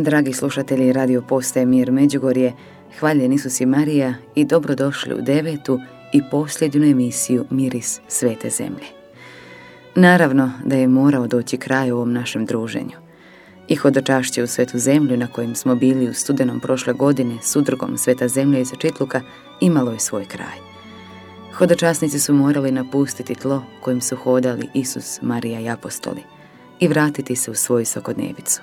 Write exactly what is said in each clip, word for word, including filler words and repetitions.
Dragi slušatelji Radio Postaje Mir Međugorje, hvaljen Isus i Marija i dobrodošli u devetu i posljednju emisiju Miris svete zemlje. Naravno da je morao doći kraj ovom našem druženju. I hodočašće u svetu zemlju na kojem smo bili u studenom prošle godine s udrugom Sveta zemlja iz Čitluka imalo je svoj kraj. Hodočasnici su morali napustiti tlo kojim su hodali Isus, Marija i apostoli i vratiti se u svoju svakodnevicu.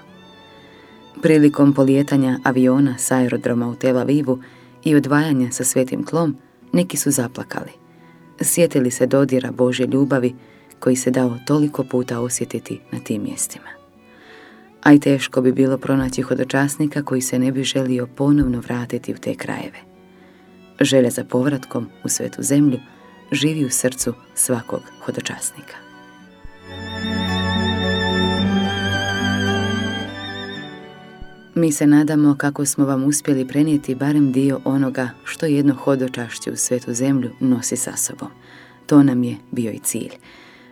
Prilikom polijetanja aviona s aerodroma u Tel Avivu i odvajanja sa svetim tlom, neki su zaplakali. Sjetili se dodira Božje ljubavi koji se dao toliko puta osjetiti na tim mjestima. A i teško bi bilo pronaći hodočasnika koji se ne bi želio ponovno vratiti u te krajeve. Želja za povratkom u svetu zemlju živi u srcu svakog hodočasnika. Mi se nadamo kako smo vam uspjeli prenijeti barem dio onoga što jedno hodočašće u svetu zemlju nosi sa sobom. To nam je bio i cilj.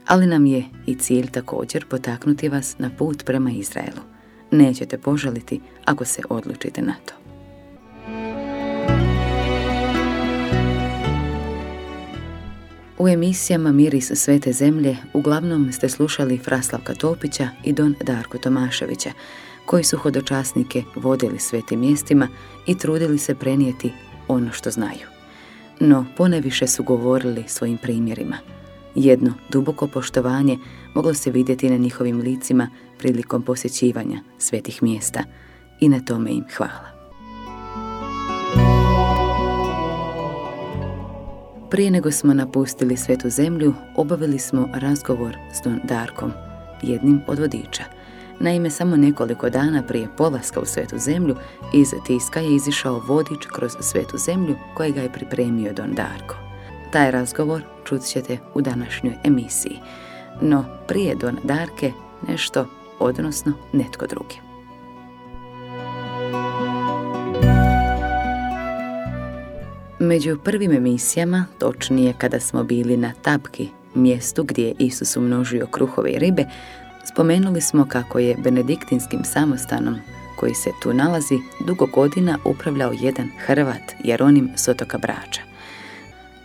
Ali nam je i cilj također potaknuti vas na put prema Izraelu. Nećete požaliti ako se odlučite na to. U emisijama Miris svete zemlje uglavnom ste slušali Fra Slavka Topića i Don Darko Tomaševića, koji su hodočasnike vodili svetim mjestima i trudili se prenijeti ono što znaju. No poneviše su govorili svojim primjerima. Jedno duboko poštovanje moglo se vidjeti na njihovim licima prilikom posjećivanja svetih mjesta i na tome im hvala. Prije nego smo napustili svetu zemlju, obavili smo razgovor s Don Darkom, jednim od vodiča. Naime, samo nekoliko dana prije polaska u svetu zemlju iz tiska je izišao vodič kroz svetu zemlju kojega je pripremio Don Darko. Taj razgovor čut ćete u današnjoj emisiji. No prije Don Darke nešto, odnosno netko drugi. Među prvim emisijama, točnije kada smo bili na Tabki, mjestu gdje je Isus umnožio kruhove i ribe, spomenuli smo kako je benediktinskim samostanom koji se tu nalazi dugo godina upravljao jedan Hrvat, Jeronim s otoka Brača.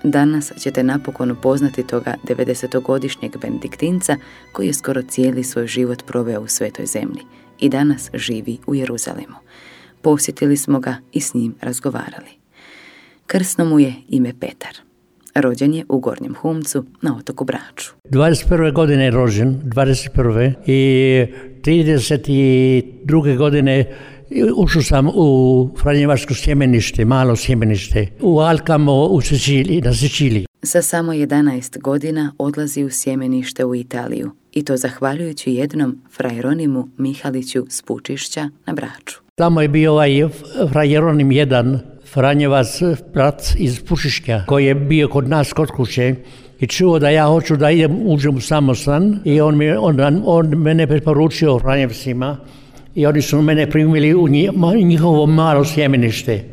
Danas ćete napokon upoznati toga devedesetogodišnjeg benediktinca koji je skoro cijeli svoj život proveo u svetoj zemlji i danas živi u Jeruzalemu. Posjetili smo ga i s njim razgovarali. Krsno mu je ime Petar. Rođen je u Gornjem Humcu na otoku Braču. dvadeset prve godine je rođen, dvadeset prve i trideset druge godine ušao sam u Franjevačko sjemenište, malo sjemenište, u Alkamo u Siciliji, na Siciliji. Sa samo jedanaest godina odlazi u sjemenište u Italiju i to zahvaljujući jednom fra Jeronimu Mihaliću s Pučišća na Braču. Tamo je bio ovaj fra Jeronim jedan, Franjevac, brat iz Pušišća, koji je bio kod nas kod kuće i čuo da ja hoću da idem, uđem u samostan i on, mi, on, on mene preporučio Franjevcima i oni su mene primili u njihovo malo sjemenište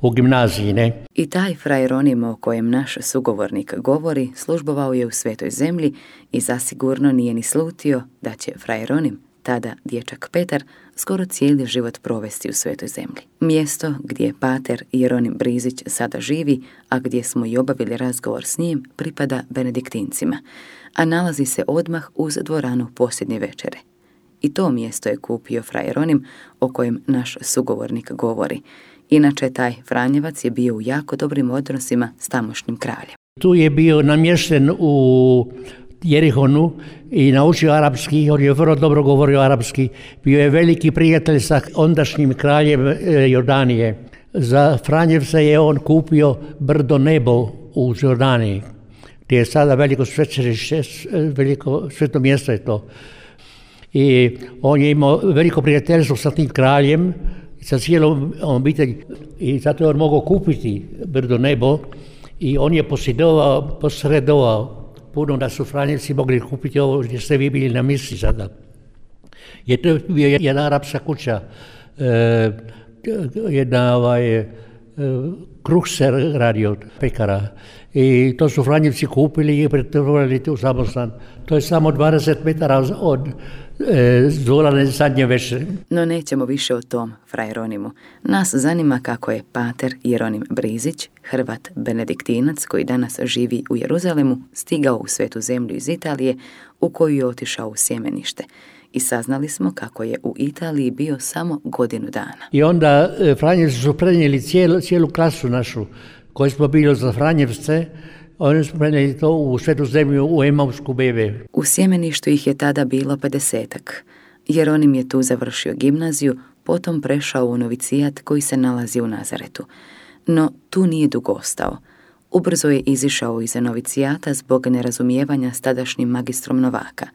u gimnaziji. Ne? I taj fra Jeronim o kojem naš sugovornik govori službovao je u svetoj zemlji i zasigurno nije ni slutio da će fra Jeronim, tada dječak Petar, skoro cijeli život provesti u svetoj zemlji. Mjesto gdje pater Jeronim Brizić sada živi, a gdje smo i obavili razgovor s njim, pripada benediktincima, a nalazi se odmah uz dvoranu posljednje večere. I to mjesto je kupio fra Jeronim o kojem naš sugovornik govori. Inače, taj Franjevac je bio u jako dobrim odnosima s tamošnjim kraljem. Tu je bio namješten u Jerihonu i naučio arapski, on je vrlo dobro govorio arapski. Bio je veliki prijatelj sa ondašnjim kraljem Jordanije. Za Franjevca je on kupio brdo Nebo u Jordaniji, gdje je sada veliko svečanište, veliko sveto mjesto je to. I on je imao veliko prijateljstvo sa tim kraljem, sa cijelom obitelji i zato je on mogao kupiti brdo Nebo i on je posjedovao, posredovao puno da su Franjevci mogli kupiti ovo gdje ste vi bili na misi sada. Je to bio jedna arapska kuća, e, jedna ovaj, e, kruh se radio, pekara I to su Franjevci kupili i pretvorili u samostan. To je samo dvadeset metara od e, Zorane zadnje veše. No nećemo više o tom frajeronimu. Nas zanima kako je pater Jeronim Brizić, Hrvat benediktinac koji danas živi u Jeruzalemu, stigao u Svetu zemlju iz Italije u koju je otišao u sjemenište. I saznali smo kako je u Italiji bio samo godinu dana. I onda e, Franjevci su prenijeli cijelu, cijelu klasu našu koji smo bili za Franjevce, oni su prenijeli to u Svetu zemlju u Emausku bebe. U sjemeništu ih je tada bilo pedesetak. Jeronim je tu završio gimnaziju, potom prešao u novicijat koji se nalazi u Nazaretu. No tu nije dugo ostao. Ubrzo je izišao iz novicijata zbog nerazumijevanja s tadašnjim magistrom novaka.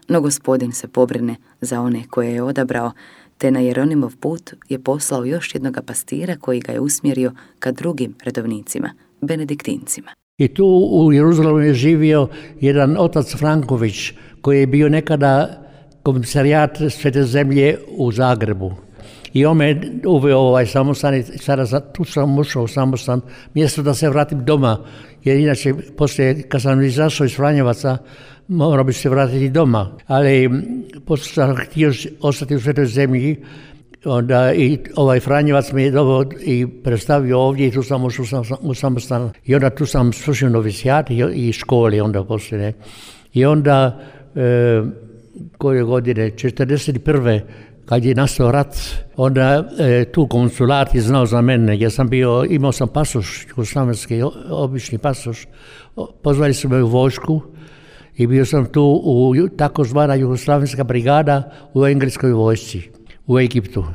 No gospodin se pobrine za one koje je odabrao, te na Jeronimov put je poslao još jednoga pastira koji ga je usmjerio ka drugim redovnicima, benediktincima. I tu u Jeruzalemu je živio jedan otac Franković koji je bio nekada komisarijat Svete zemlje u Zagrebu. I on me uveo ovaj samostan i sada tu sam ušao u samostan mjesto da se vratim doma, jer inače poslije kad sam izašao iz Franjevaca morao bi se vratiti doma. Ali poslije sam htio ostati u Svetoj zemlji, onda i ovaj Franjevac me je doveo i predstavio ovdje i tu sam ušao u samostan. I onda tu sam slušao novicijat i školi onda poslije. I onda e, koje godine, četrdeset prve kad je nastao rat, onda e, tu konsulat je znao za mene, jer sam bio, imao sam pasoš, jugoslavenski, obični pasoš. Pozvali su me u vojsku i bio sam tu u takozvana jugoslavenska brigada u engleskoj vojsci, u Egiptu.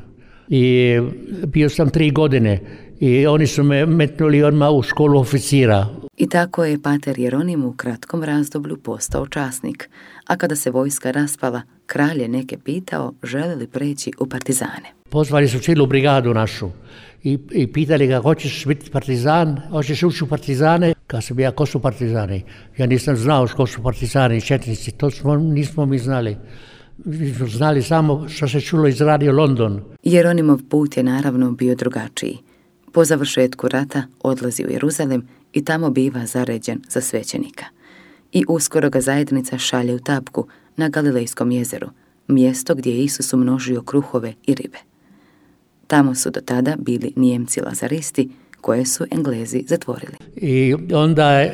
I bio sam tri godine i oni su me metnuli odmah u školu oficira. I tako je pater Jeronim u kratkom razdoblju postao časnik, a kada se vojska raspala, kralj je neke pitao žele li preći u partizane. Pozvali su cijelu brigadu našu i, i pitali ga hoćeš biti partizan, hoćeš ući u partizane. Kad sam ja, ko su partizani? Ja nisam znao ko su partizani, četnici, to smo, nismo mi znali. Mi smo znali samo što se čulo iz Radio London. Jeronimov put je naravno bio drugačiji. Po završetku rata odlazi u Jeruzalem i tamo biva zaređen za svećenika. I uskoro ga zajednica šalje u Tapku na Galilejskom jezeru, mjesto gdje je Isus umnožio kruhove i ribe. Tamo su do tada bili Nijemci lazaristi koje su Englezi zatvorili. I onda,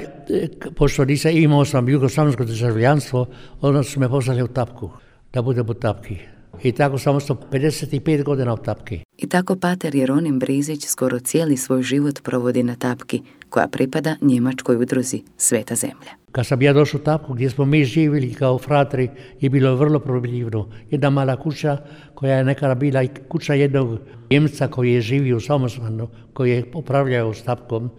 pošto nisam imao sam jugoslavensko državljanstvo, onda su me poslali u Tapku, da budem u Tapki. I tako sam ostao pedeset pet godina u Tapki. I tako pater Jeronim Brizić skoro cijeli svoj život provodi na Tapki, koja pripada njemačkoj udruzi Sveta zemlja. Kad sam ja došao u Tapku, gdje smo mi živjeli kao fratri, je bilo vrlo probljivno. Jedna mala kuća koja je nekada bila i kuća jednog Njemca koji je živio u samostanu, koji je upravljao s Tapkom,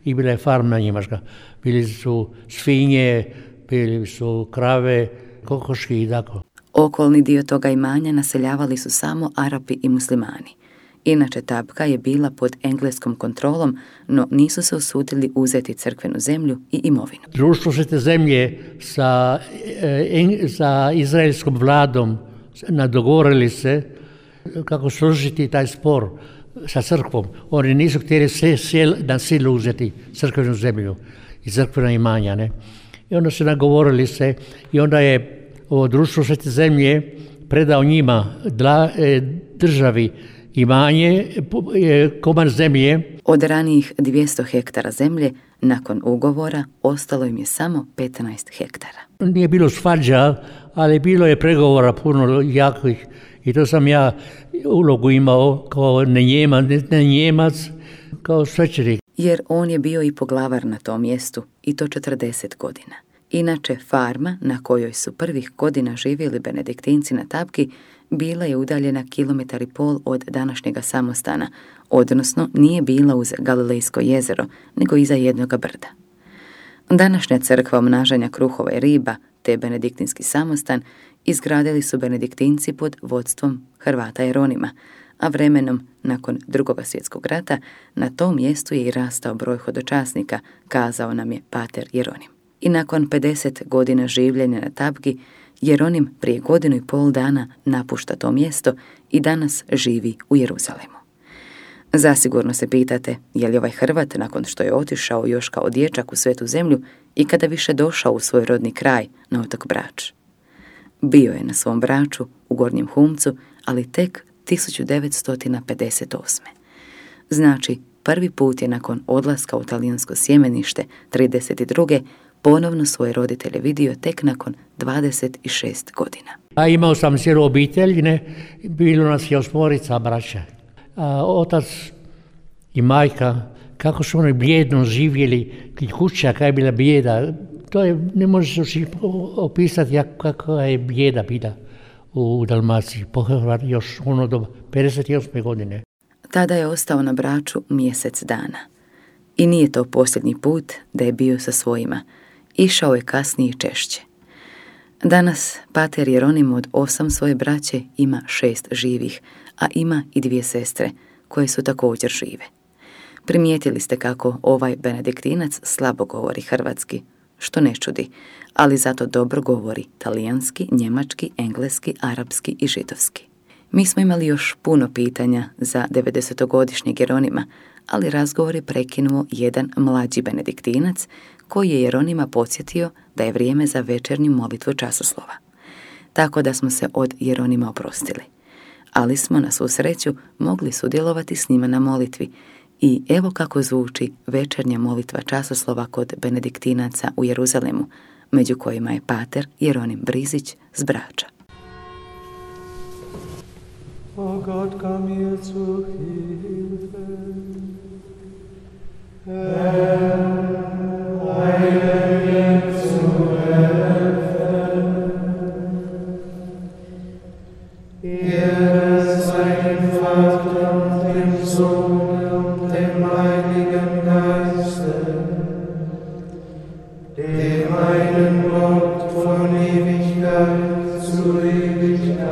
i bila je farma njemačka. Bili su svinje, bili su krave, kokoški i tako. Okolni dio toga imanja naseljavali su samo Arapi i muslimani. Inače Tapka je bila pod engleskom kontrolom, no nisu se usudili uzeti crkvenu zemlju i imovinu. Društvo Svete zemlje sa, e, sa izraelskom vladom nadogovorili se kako složiti taj spor sa crkvom. Oni nisu htjeli se sjel, na silu uzeti crkvenu zemlju i crkvena imanja. Ne? I onda se nagovorili se i onda je ovo društvo Svete zemlje predao njima dla, e, državi imanje, e, komad zemlje. Od ranijih dvjesto hektara zemlje, nakon ugovora, ostalo im je samo petnaest hektara. Nije bilo svađa, ali bilo je pregovora puno jakih i to sam ja ulogu imao kao ne Njemac, ne Njemac, kao svećenik. Jer on je bio i poglavar na tom mjestu i to četrdeset godina. Inače, farma na kojoj su prvih godina živjeli benediktinci na Tapki bila je udaljena kilometar i pol od današnjega samostana, odnosno nije bila uz Galilejsko jezero, nego iza jednoga brda. Današnja crkva omnažanja kruhova i riba, te benediktinski samostan, izgradili su benediktinci pod vodstvom Hrvata Jeronima, a vremenom, nakon Drugog svjetskog rata, na tom mjestu je i rastao broj hodočasnika, kazao nam je pater Jeronim. I nakon pedeset godina življenja na Tapki, Jeronim prije godinu i pol dana napušta to mjesto i danas živi u Jeruzalemu. Zasigurno se pitate je li ovaj Hrvat, nakon što je otišao još kao dječak u Svetu zemlju, i kada više došao u svoj rodni kraj na otok Brač. Bio je na svom Braču u Gornjem Humcu, ali tek tisuću devetsto pedeset osme. Znači, prvi put je nakon odlaska u talijansko sjemenište trideset druge ponovno svoje roditelje vidio tek nakon dvadeset šest godina. A imao sam cijelu obitelj, ne? Bilo nas je osmorica braća. A otac i majka, kako su oni bljedno živjeli, kuća kada je bila bijeda, to je, ne može se opisati kako je bijeda bila u Dalmaciji, pohvat još ono do pedeset osme godine. Tada je ostao na Braču mjesec dana. I nije to posljednji put da je bio sa svojima. Išao je kasnije i češće. Danas pater Jeronim od osam svoje braće ima šest živih, a ima i dvije sestre koje su također žive. Primijetili ste kako ovaj benediktinac slabo govori hrvatski, što ne čudi, ali zato dobro govori talijanski, njemački, engleski, arapski i židovski. Mi smo imali još puno pitanja za devedesetogodišnjeg Jeronima, ali razgovor je prekinuo jedan mlađi benediktinac koji je Jeronima podsjetio da je vrijeme za večernju molitvu časoslova. Tako da smo se od Jeronima oprostili. Ali smo na svu sreću mogli sudjelovati s njima na molitvi. I evo kako zvuči večernja molitva časoslova kod benediktinaca u Jeruzalemu, među kojima je pater Jeronim Brizić s Brača. O Gott, komm mir zu Hilfe. Herr, eile mir zu helfen. Ehre sei dem Vater und dem Sohn und dem Heiligen Geiste, dem einen Gott von Ewigkeit zu Ewigkeit.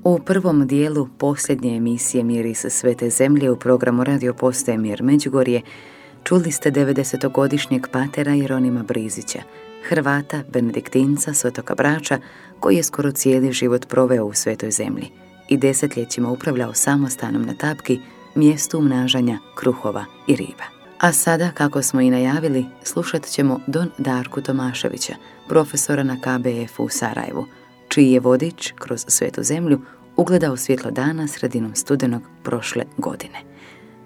U prvom dijelu posljednje emisije Miris Svete zemlje u programu Radio Postaje Mir Međugorje čuli ste devedesetogodišnjeg patera Jeronima Brizića, Hrvata, benediktinca s otoka Brača, koji je skoro cijeli život proveo u Svetoj zemlji i desetljećima upravljao samostanom na Tapki, mjestu umnažanja kruhova i riba. A sada, kako smo i najavili, slušat ćemo Don Darku Tomaševića, profesora na K B F u Sarajevu, čiji je vodič kroz Svetu zemlju ugledao svjetlo dana sredinom studenog prošle godine.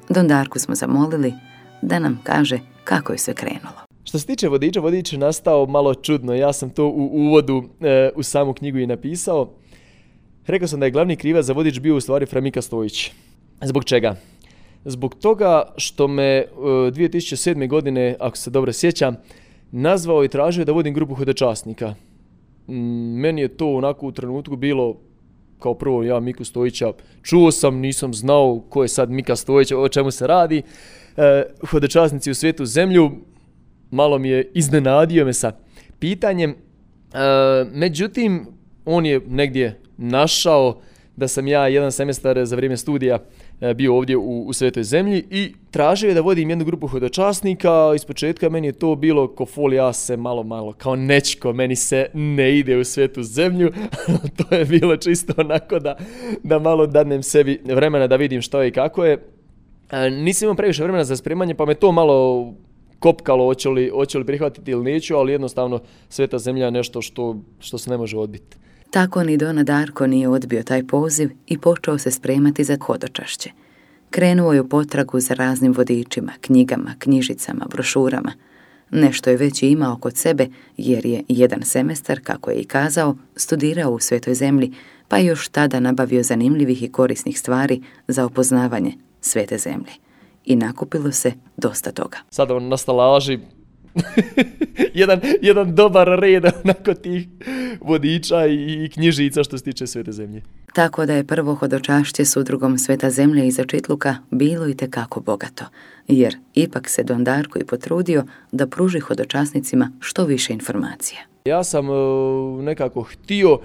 Don Darku smo zamolili da nam kaže kako je sve krenulo. Što se tiče vodiča, vodič je nastao malo čudno. Ja sam to u uvodu e, u samu knjigu i napisao. Rekao sam da je glavni krivac za vodič bio u stvari Fra Mika Stojić. Zbog čega? Zbog toga što me e, dvije tisuće sedme godine, ako se dobro sjećam, nazvao i tražio da vodim grupu hodočasnika. Meni je to onako u trenutku bilo kao prvo ja Miku Stojića čuo sam, nisam znao ko je sad Mika Stojić, o čemu se radi. E, hodočasnici u Svetu zemlju, malo mi je iznenadio me sa pitanjem. E, međutim, on je negdje našao da sam ja jedan semestar za vrijeme studija bio ovdje u, u Svetoj zemlji i tražio je da vodim jednu grupu hodočasnika. Ispočetka meni je to bilo ko fol, ja se malo, malo kao nečko, meni se ne ide u Svetu zemlju. To je bilo čisto onako da, da malo dadnem sebi vremena da vidim što je i kako je. E, nisam imao previše vremena za spremanje, pa me to malo kopkalo, hoće li, hoće li prihvatiti ili neću, ali jednostavno Sveta zemlja je nešto što, što se ne može odbiti. Tako ni Dona Darko nije odbio taj poziv i počeo se spremati za hodočašće. Krenuo je u potragu za raznim vodičima, knjigama, knjižicama, brošurama. Nešto je već imao kod sebe jer je jedan semestar, kako je i kazao, studirao u Svetoj zemlji, pa je još tada nabavio zanimljivih i korisnih stvari za opoznavanje Svete zemlje. I nakupilo se dosta toga. Sada on na stalaži jedan, jedan dobar red onako tih vodiča i, i knjižica što se tiče Svete zemlje. Tako da je prvo hodočašće s udrugom Sveta zemlja iz Očitluka bilo i tekako bogato, jer ipak se Don Darko i potrudio da pruži hodočasnicima što više informacija. Ja sam uh, nekako htio uh,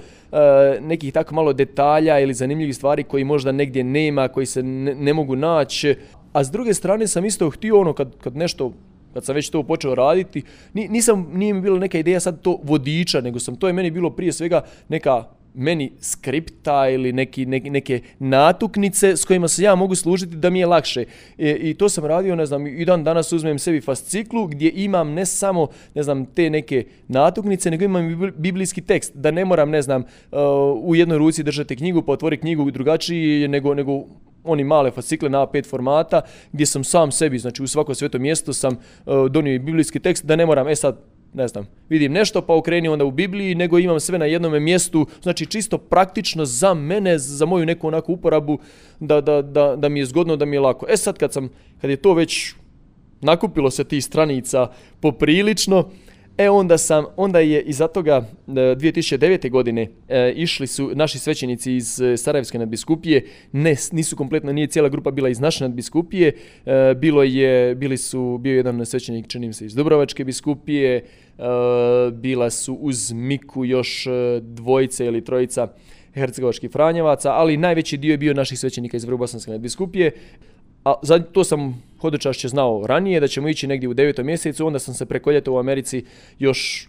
nekih tako malo detalja ili zanimljivih stvari koji možda negdje nema, koji se ne, ne mogu naći, a s druge strane sam isto htio ono kad, kad nešto kad sam već to počeo raditi, nisam, nije mi bilo neka ideja sad to vodiča, nego sam, to je meni bilo prije svega neka meni skripta ili neki, neki, neke natuknice s kojima se ja mogu služiti da mi je lakše. I, i to sam radio, ne znam, i dan danas uzmem sebi fasciklu gdje imam ne samo, ne znam, te neke natuknice, nego imam i biblijski tekst, da ne moram, ne znam, uh, u jednoj ruci držati knjigu, pa otvori knjigu drugačiji, nego, nego oni male fascikle na A pet formata, gdje sam sam sebi, znači u svako sveto mjesto sam uh, donio i biblijski tekst, da ne moram, e sad, ne znam, vidim nešto pa okreni onda u Bibliji, nego imam sve na jednom mjestu, znači čisto praktično za mene, za moju neku onako uporabu, da, da, da, da mi je zgodno, da mi je lako. E sad kad sam, kad je to već nakupilo se tih stranica poprilično, e onda sam, onda je iza toga dvije tisuće devete. godine e, išli su naši svećenici iz Sarajevske nadbiskupije, ne, nisu kompletno, nije cijela grupa bila iz naše nadbiskupije, e, bilo je, bili su, bio jedan svećenik, čini mi se, iz Dubrovačke biskupije, e, bila su uz Miku još dvojice ili trojica hercegovačkih franjevaca, ali najveći dio je bio naših svećenika iz Vrbosanske nadbiskupije. A za to sam hodočašće znao ranije, da ćemo ići negdje u devetom mjesecu, onda sam se preko ljeta u Americi još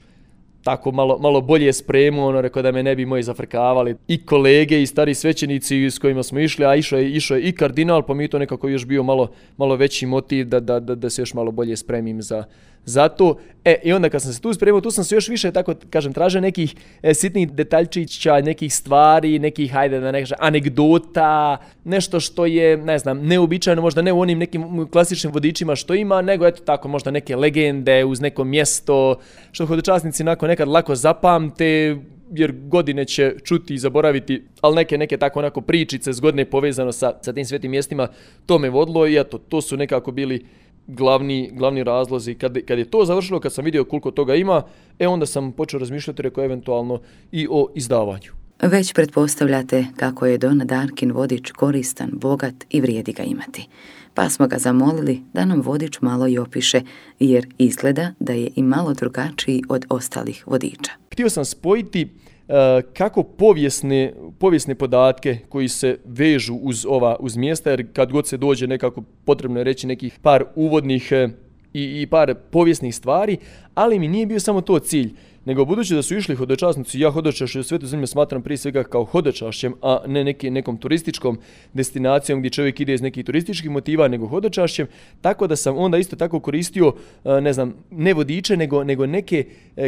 tako malo, malo bolje spremio, ono rekao da me ne bi moji zafrkavali. I kolege i stari svećenici s kojima smo išli, a išao je, išao je i kardinal, pa mi to nekako još bio malo, malo veći motiv da, da, da, da se još malo bolje spremim za, za to. E, i onda kad sam se tu spremio, tu sam se još više, tako kažem, tražio nekih e, sitnih detaljčića, nekih stvari, nekih, hajde da ne kažem, anegdota, nešto što je, ne znam, neobičajno, možda ne u onim nekim klasičnim vodičima što ima, nego eto tako možda neke legende uz neko mjesto, što hodočasnici nakon nekad lako zapamte, jer godine će čuti i zaboraviti, ali neke, neke tako onako pričice zgodne povezano sa, sa tim svetim mjestima, to me vodilo i eto, to su nekako bili glavni, glavni razlozi. Kad, kad je to završilo, kad sam vidio koliko toga ima, e onda sam počeo razmišljati, rekao, eventualno i o izdavanju. Već pretpostavljate kako je Don Darkin vodič koristan, bogat i vrijedi ga imati. Pa smo ga zamolili da nam vodič malo i opiše, jer izgleda da je i malo drugačiji od ostalih vodiča. Htio sam spojiti uh, kako povijesne, povijesne podatke koji se vežu uz ova uz mjesta, jer kad god se dođe nekako potrebno je reći nekih par uvodnih uh, i, i par povijesnih stvari, ali mi nije bio samo to cilj. Nego budući da su išli hodočasnici, ja hodočašće u Svetu zemlju smatram prije svega kao hodočašćem, a ne neki, nekom turističkom destinacijom gdje čovjek ide iz nekih turističkih motiva, nego hodočašćem, tako da sam onda isto tako koristio, ne znam, ne vodiče, nego, nego neke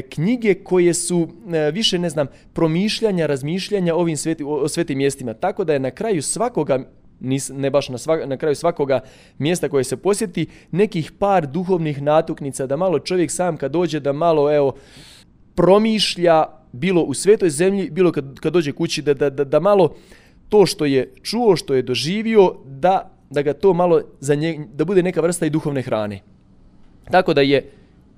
knjige koje su više, ne znam, promišljanja, razmišljanja ovim sveti, o svetim mjestima. Tako da je na kraju svakoga, ne baš na, svak, na kraju svakoga mjesta koje se posjeti, nekih par duhovnih natuknica, da malo čovjek sam kad dođe, da malo, evo, promišlja, bilo u Svetoj zemlji, bilo kad, kad dođe kući, da, da, da, da malo to što je čuo, što je doživio, da, da ga to malo za nje, da bude neka vrsta i duhovne hrane. Tako da je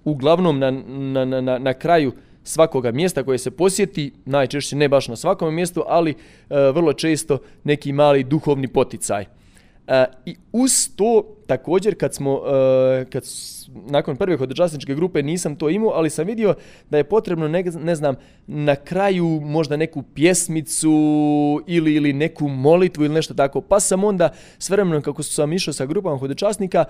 uglavnom na, na, na, na kraju svakoga mjesta koje se posjeti, najčešće ne baš na svakom mjestu, ali e, vrlo često neki mali duhovni poticaj. E, I uz to također kad smo, e, kad nakon prve hodočasničke grupe nisam to imao, ali sam vidio da je potrebno, ne, ne znam, na kraju možda neku pjesmicu ili, ili neku molitvu ili nešto tako. Pa sam onda s vremenom kako sam išao sa grupama hodočasnika,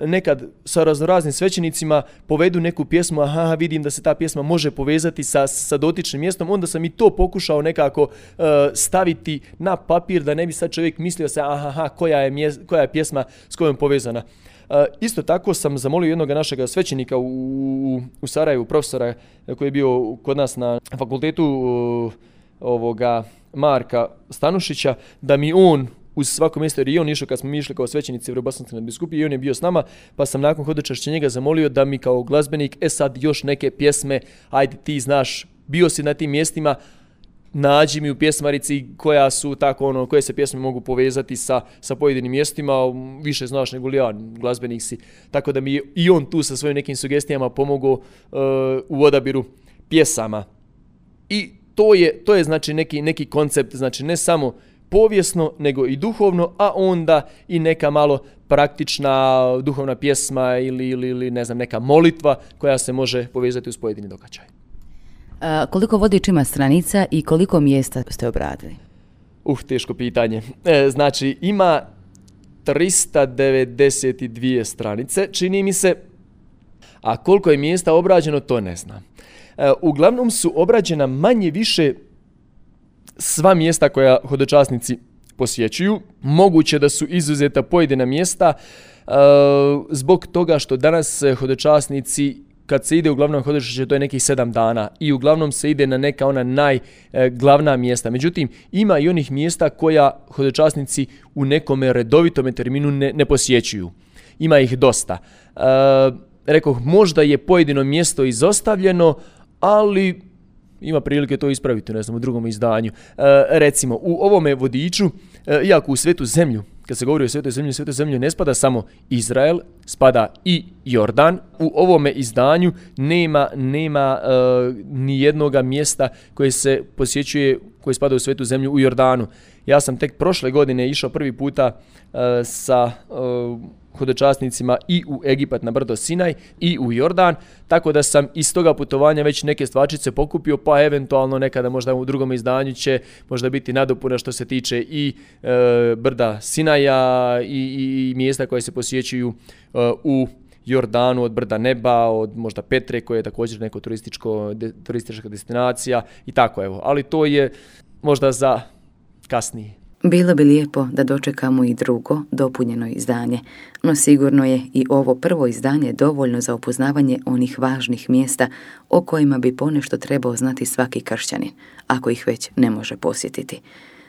nekad sa raznoraznim svećenicima povedu neku pjesmu, aha, vidim da se ta pjesma može povezati sa, sa dotičnim mjestom, onda sam i to pokušao nekako uh, staviti na papir da ne bi sad čovjek mislio se, aha, koja je, mjes, koja je pjesma s kojom povezana. Uh, isto tako sam zamolio jednog našeg svećenika u, u, u Sarajevu, profesora koji je bio kod nas na fakultetu uh, ovoga Marka Stanušića, da mi on uz svako mjesto, jer i on išao kad smo mi išli kao svećenici Vjerobosanske nadbiskupije i on je bio s nama, pa sam nakon hodočašća njega zamolio da mi kao glazbenik, e sad još neke pjesme, ajde ti znaš, bio si na tim mjestima, nađi mi u pjesmarici koja su tako ono, koje se pjesme mogu povezati sa, sa pojedinim mjestima, više znaš nego li ja, glazbenik si. Tako da mi je i on tu sa svojim nekim sugestijama pomogao uh, u odabiru pjesama. I to je, to je znači neki, neki koncept, znači ne samo povijesno, nego i duhovno, a onda i neka malo praktična duhovna pjesma ili, ili, ili ne znam, neka molitva koja se može povezati uz pojedini događaj. A, koliko vodič ima stranica i koliko mjesta ste obradili? Uh, teško pitanje. E, znači, ima tristo devedeset dvije stranice, čini mi se, a koliko je mjesta obrađeno, to ne znam. E, uglavnom su obrađena manje više sva mjesta koja hodočasnici posjećuju. Moguće da su izuzeta pojedina mjesta e, zbog toga što danas hodočasnici, kad se ide uglavnom hodočašće, to je nekih sedam dana i uglavnom se ide na neka ona najglavna mjesta. Međutim, ima i onih mjesta koja hodočasnici u nekome redovitome terminu ne, ne posjećuju. Ima ih dosta. E, rekoh, možda je pojedino mjesto izostavljeno, ali ima prilike to ispraviti, ne znam, u drugom izdanju. E, recimo, u ovome vodiču, e, iako u Svetu zemlju, kad se govori o Svetoj zemlji, Svetoj zemlji ne spada samo Izrael, spada i Jordan. U ovome izdanju nema, nema e, ni jednoga mjesta koje se posjećuje, koje spada u Svetu zemlju u Jordanu. Ja sam tek prošle godine išao prvi puta e, sa e, hodočasnicima i u Egipat na brdo Sinaj i u Jordan, tako da sam iz toga putovanja već neke stvačice pokupio, pa eventualno nekada možda u drugom izdanju će možda biti nadopuna što se tiče i e, brda Sinaja i, i, i mjesta koje se posjećuju e, u Jordanu, od brda Neba, od možda Petre koje je također neko turističko, de, turistička destinacija i tako evo, ali to je možda za kasnije. Bilo bi lijepo da dočekamo i drugo, dopunjeno izdanje, no sigurno je i ovo prvo izdanje dovoljno za upoznavanje onih važnih mjesta o kojima bi ponešto trebao znati svaki kršćanin, ako ih već ne može posjetiti.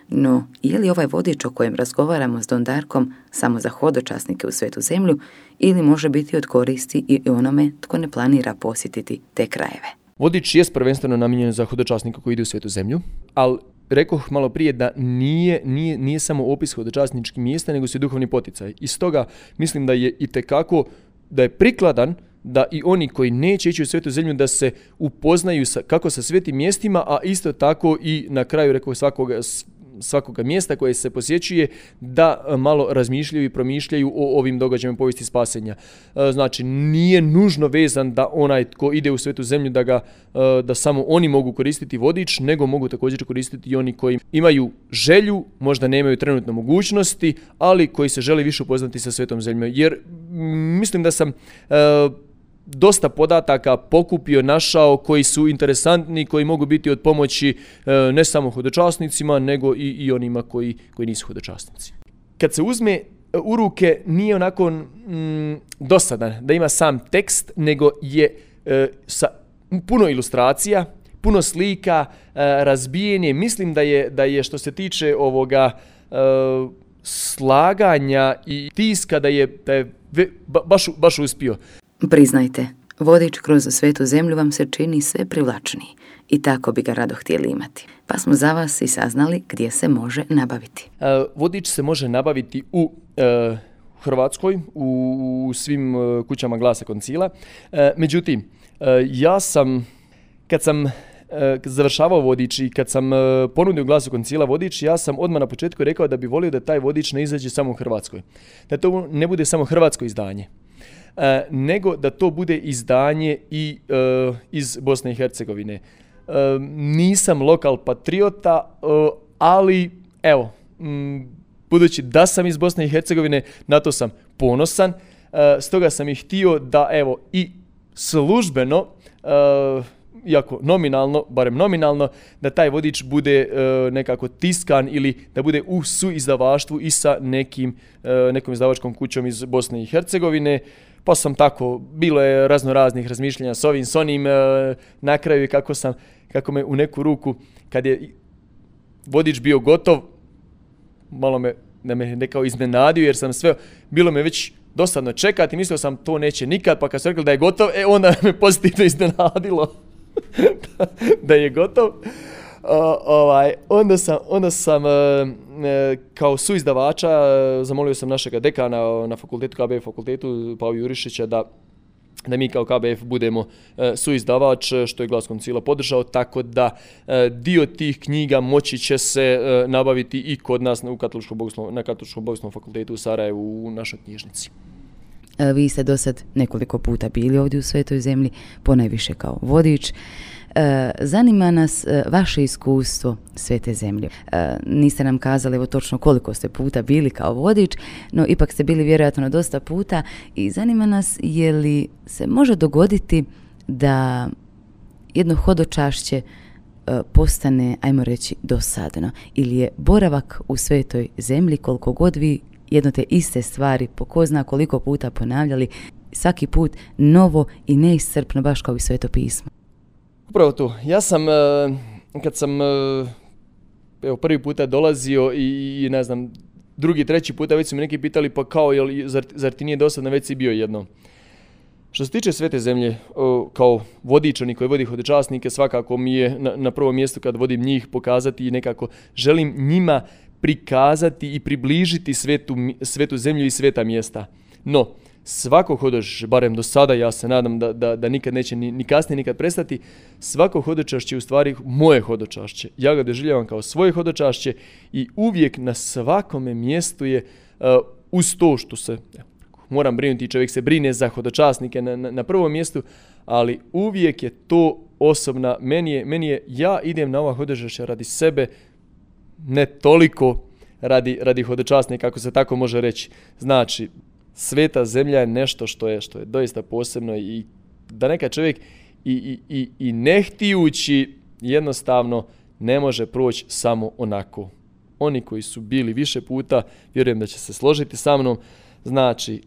No, je li ovaj vodič o kojem razgovaramo s Don Darkom samo za hodočasnike u Svetu zemlju ili može biti od koristi i onome tko ne planira posjetiti te krajeve? Vodič je prvenstveno namijenjen za hodočasnika koji ide u Svetu zemlju, ali rekoh malo prije da nije, nije, nije samo opis hodočasničkih mjesta, nego su i duhovni poticaj. I stoga mislim da je itekako, da je prikladan da i oni koji neće ići u Svetu zemlju da se upoznaju sa, kako sa svetim mjestima, a isto tako i na kraju rekoh svakoga, svakoga mjesta koje se posjećuje da malo razmišljaju i promišljaju o ovim događajima povijesti spasenja. Znači, nije nužno vezan da onaj tko ide u Svetu zemlju da ga, da samo oni mogu koristiti vodič, nego mogu također koristiti i oni koji imaju želju, možda nemaju trenutno mogućnosti, ali koji se žele više upoznati sa Svetom zemljom. Jer mislim da sam dosta podataka pokupio, našao koji su interesantni, koji mogu biti od pomoći e, ne samo hodočasnicima, nego i, i onima koji, koji nisu hodočasnici. Kad se uzme u ruke, nije onako mm, dosadan da ima sam tekst, nego je e, sa puno ilustracija, puno slika, e, razbijenje. Mislim da je, da je što se tiče ovoga e, slaganja i tiska, da je, da je ba, baš, baš uspio. Priznajte, vodič kroz Svetu zemlju vam se čini sve privlačniji i tako bi ga rado htjeli imati. Pa smo za vas i saznali gdje se može nabaviti. Uh, vodič se može nabaviti u uh, Hrvatskoj, u, u svim uh, kućama Glasa Koncila. Uh, međutim, uh, ja sam, kad sam uh, završavao vodič i kad sam uh, ponudio Glasu Koncila vodič, ja sam odmah na početku rekao da bi volio da taj vodič ne izađe samo u Hrvatskoj. Da to ne bude samo hrvatsko izdanje. Uh, nego da to bude izdanje i uh, iz Bosne i Hercegovine. Uh, nisam lokal patriota, uh, ali evo, m, budući da sam iz Bosne i Hercegovine, na to sam ponosan, uh, stoga sam i htio da evo i službeno, uh, iako nominalno, barem nominalno, da taj vodič bude uh, nekako tiskan ili da bude u suizdavaštvu i sa nekim, uh, nekom izdavačkom kućom iz Bosne i Hercegovine. Pa sam tako, bilo je razno raznih razmišljanja s ovim, s onim, uh, na kraju kako sam, kako me u neku ruku, kad je vodič bio gotov, malo me, da me nekao iznenadio jer sam sve, bilo me već dosadno čekati, mislio sam to neće nikad, pa kad su rekli da je gotov, e onda me pozitivno iznenadilo da, da je gotov. Uh, ovaj, onda sam, onda sam uh, kao suizdavača uh, zamolio sam našega dekana na fakultetu, K B F fakultetu, Pavu Jurišića, da da mi kao K B F budemo uh, suizdavač, što je Glas Koncila podržao, tako da uh, dio tih knjiga moći će se uh, nabaviti i kod nas u Katoličkom bogoslovnom, na Katoličkom bogoslovnom fakultetu u Sarajevu u našoj knjižnici. Vi ste do sad nekoliko puta bili ovdje u Svetoj zemlji, ponajviše kao vodič. Zanima nas vaše iskustvo Svete zemlje. Niste nam kazali evo točno koliko ste puta bili kao vodič, no ipak ste bili vjerojatno dosta puta i zanima nas je li se može dogoditi da jedno hodočašće postane, ajmo reći, dosadno ili je boravak u Svetoj zemlji koliko god vi jedno te iste stvari po ko zna koliko puta ponavljali, svaki put novo i neiscrpno, baš kao i Sveto pismo. Upravo to. Ja sam, kad sam evo, prvi puta dolazio i, ne znam, drugi, treći puta, već su mi neki pitali, pa kao, jel, zar, zar ti nije dosadno, već si bio jednom. Što se tiče Svete zemlje, kao vodičani koji vodi hodočasnike, svakako mi je na, na prvom mjestu kad vodim njih pokazati i nekako želim njima prikazati i približiti svetu, svetu zemlju i sveta mjesta. No, svako hodočašće, barem do sada, ja se nadam da, da, da nikad neće ni, ni kasnije nikad prestati, svako hodočašće je u stvari moje hodočašće. Ja ga doživljavam kao svoje hodočašće i uvijek na svakome mjestu je uh, uz to što se, moram brinuti, čovjek se brine za hodočasnike na, na, na prvom mjestu, ali uvijek je to osobna, meni je, meni je ja idem na ova hodočašća radi sebe, ne toliko radi, radi hodočasnika, kako se tako može reći. Znači, Sveta zemlja je nešto što je, što je doista posebno i da neka čovjek i, i, i, i ne htijući jednostavno ne može proći samo onako. Oni koji su bili više puta, vjerujem da će se složiti sa mnom, znači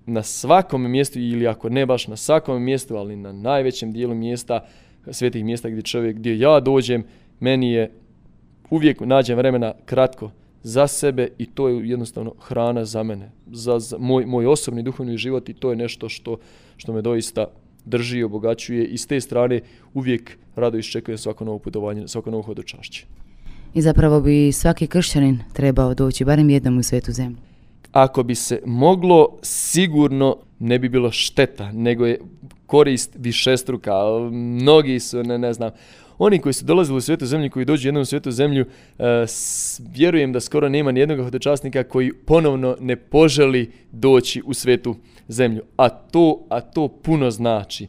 na svakom mjestu ili ako ne baš na svakom mjestu, ali na najvećem dijelu mjesta, svetih mjesta gdje čovjek, gdje ja dođem, meni je uvijek nađem vremena kratko za sebe i to je jednostavno hrana za mene, za, za moj, moj osobni duhovni život i to je nešto što, što me doista drži i obogaćuje i s te strane uvijek rado iščekujem svako novo putovanje, svako novo hodočašće. I zapravo bi svaki kršćanin trebao doći barem jednom u Svetu zemlju. Ako bi se moglo, sigurno ne bi bilo šteta, nego je korist višestruka. Mnogi su, ne, ne znam, oni koji su dolazili u Svetu zemlju, koji dođu jednom u Svetu zemlju, uh, s, vjerujem da skoro nema nijednog hodočasnika koji ponovno ne poželi doći u Svetu zemlju. A to, a to puno znači.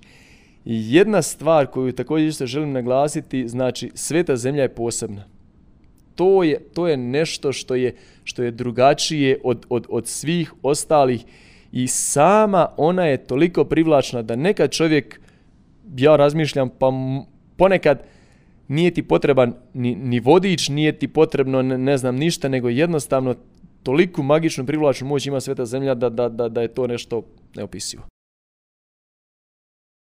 I jedna stvar koju također isto želim naglasiti, znači Sveta zemlja je posebna. To je, to je nešto što je, što je drugačije od, od, od svih ostalih i sama ona je toliko privlačna da nekad čovjek, ja razmišljam, pa ponekad nije ti potreban ni, ni vodič, nije ti potrebno ne, ne znam ništa, nego jednostavno toliku magičnu privlačnu moć ima Sveta zemlja da, da, da, da je to nešto neopisivo.